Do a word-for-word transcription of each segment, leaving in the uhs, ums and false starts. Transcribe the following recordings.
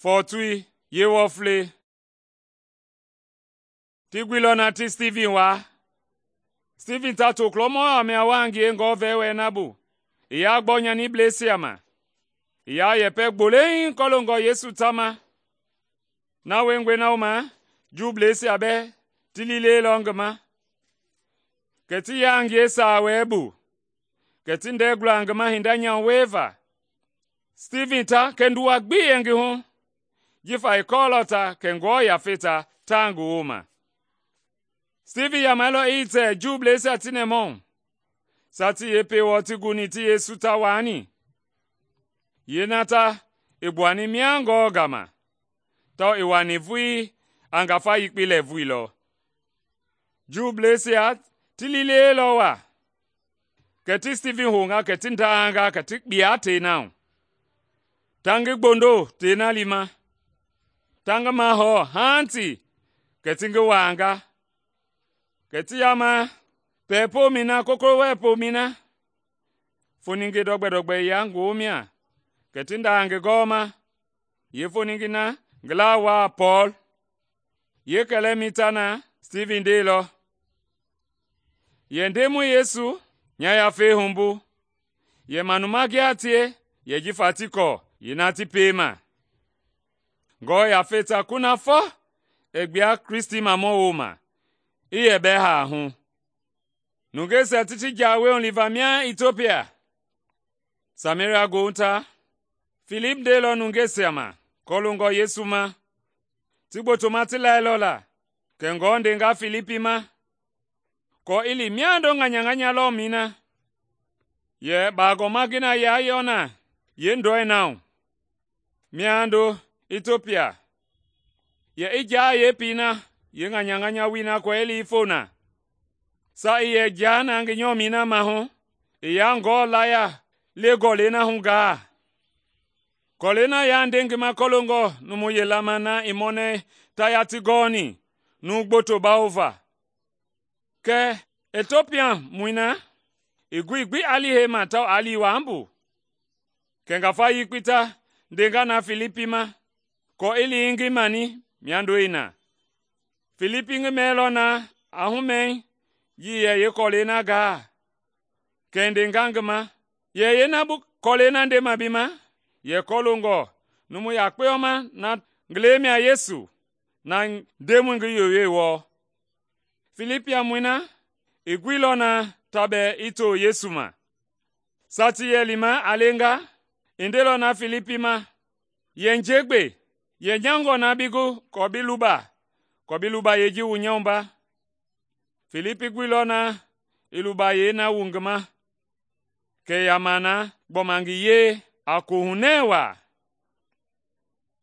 Fɔɔtui yeewɔflei. Ti guilɔ na ti Stivin waa. Stivin ta tokulɔmɔ mia wa ngie ngɔɔvɛi wɛɛ na bu, i yaa gbɔ nyanibleisia ma, i yaa yɛpɛ gbolei kɔloongɔ Yesu tama. Na wiengɔe na wooma Juubleisia bɛɛ ti liilɛilɔ ngi ma, kɛ ti yaa ngie saawɛɛ bu, kɛ ti ndɛɛ gula ngi ma hinda nyamu wieva. Stivin ta kɛ nduwa gbi yɛ ngi hu, jifa i kɔɔlɔ ta kɛ Ngewɔ Yafei ta taa ngi wooma. Stivin yamailɔ i tɛ Juubleisia ti nɛmahɔɔ, sa ti yepei wɔɔ ti guni ti Yesu ta waani. Yeena ta i gbuani mia Ngewɔ gama, tawao i wani vulii a ngafa yekpei lɛɛvui lɔ. Juubleisia ti liilɛilɔ waa, kɛ ti Stivin hounga kɛ ti ndaanga kɛ ti kpia tei na hu. Ta ngi gbondo tei na liima, ta ngi mahɔɔ haaŋti kɛ ti ngi waanga, kɛ ti yama pɛɛ pomɛi na kokowɛ pomɛi na. Foninge dɔgbɛ-dɔgbɛ i yaa ngi womia, kɛ ti ndaa ngi gɔɔma. Yeefoninge na ngi laa waa Pɔɔl. Yeekɛlɛmɛi ta na Stivin ndeilɔ, “Yɛ Ndemɔi Yesu nya yafei humbu, yɛ manuma gia tie yɛ jifa ti kɔɔ yeena ti piema.” Ngewɔ Yafei ta kunafɔ i gbua Kristimamɔ wooma, i yɛ bɛɛ haa hu. Nungeisia ti ti jawei huliva mia Itiopia. Sameria goohu ta, Filip ndeilɔ nungeisia ma kɔloongɔ Yesu ma. Ti gbotoma ti lailɔ la, kɛ Ngewɔ ndenga Filipi ma, kɔɔ i li miando ŋanyaŋanya lɔmɛi na, yɛ baagɔma ngi na yaa yɔ na yeendɔi na hu, miando Itiopia, yɛ i jaa yeepii na yeenŋanyaŋanya wui na kɔɔ i li i fo na. Sa i yɛ jaa na ngi nyɔmɛi na mahu, i yaa Ngewɔ laya le gɔlɛi na hu gaa. Gɔlɛi na yaa nde ngi ma kɔloongɔ numu yelama na i mɔnɛi ta yaa ti gɔɔni numu gboto bawova. Kɛ Itiopiamɔi na i gui gbi a li heima tawao a li wambu. Kɛ ngafa yekpei ta ndenga na Filipi ma, kɔɔ i li i ngi mani miandoi na. Filipi ngi mɛɛlɔ na a humɛi yi yɛ yeekɔlɛi na gaa, kɛ i ndenga ngi ma, “Yɛ yeena bu kɔlɛi na ndema bi ma, yɛ kɔloongɔ numu yakpeyɔma na ngi lɛi mia Yesu, na Ndemɔi ngi yoyoi wɔɔ.” Filipiamɔi na i guilɔ na ta bɛɛ i to Yesu ma. Sa ti yɛ lima a lenga, i ndeilɔ na Filipi ma, “Yɛ njegbe, yɛ nyangɔ na bi gu kɔɔ bi luba, kɔɔ bi luba yeeji wu nyɔmba.” Filipi guilɔ na i luba yei na wu ngi ma, kɛ yama na gbɔma ngi yee a kohunɛ waa.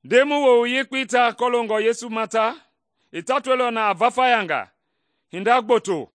Ndemɔi wowu yekpei ta kɔloongɔ Yesu ma ta, i tatoilɔ na a vafayanga hinda gboto